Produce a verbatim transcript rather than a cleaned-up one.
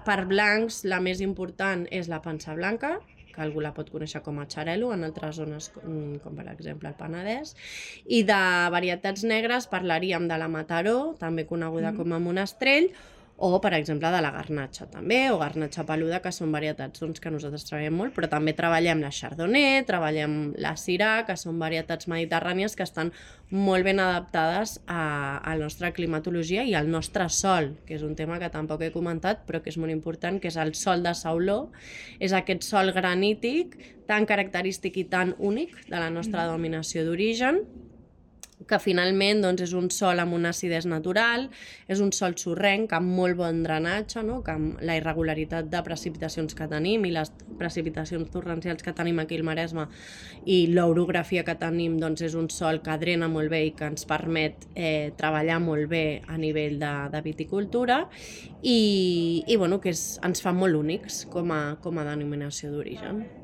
per blancs, la més important és la pansa blanca, que algú la pot conèixer com a xarel·lo en altres zones, com per exemple el Penedès. I de varietats negres parlaríem de la Mataró, també coneguda com a monestrell, o, per exemple, de la garnatxa també, o garnatxa peluda, que són varietats doncs, que nosaltres treballem molt, però també treballem la chardonnay, treballem la syrah, que són varietats mediterrànies que estan molt ben adaptades a, a la nostra climatologia i al nostre sol, que és un tema que tampoc he comentat, però que és molt important, que és el sol de Sauló. És aquest sol granític tan característic i tan únic de la nostra denominació d'origen, que finalment doncs, és un sol amb una acidesa natural, és un sol sorrenc amb molt bon drenatge, no? Que amb la irregularitat de precipitacions que tenim i les precipitacions torrencials que tenim aquí al Maresme i l'orografia que tenim doncs, és un sol que drena molt bé i que ens permet eh, treballar molt bé a nivell de, de viticultura i, i bueno, que és, ens fa molt únics com a, com a denominació d'origen.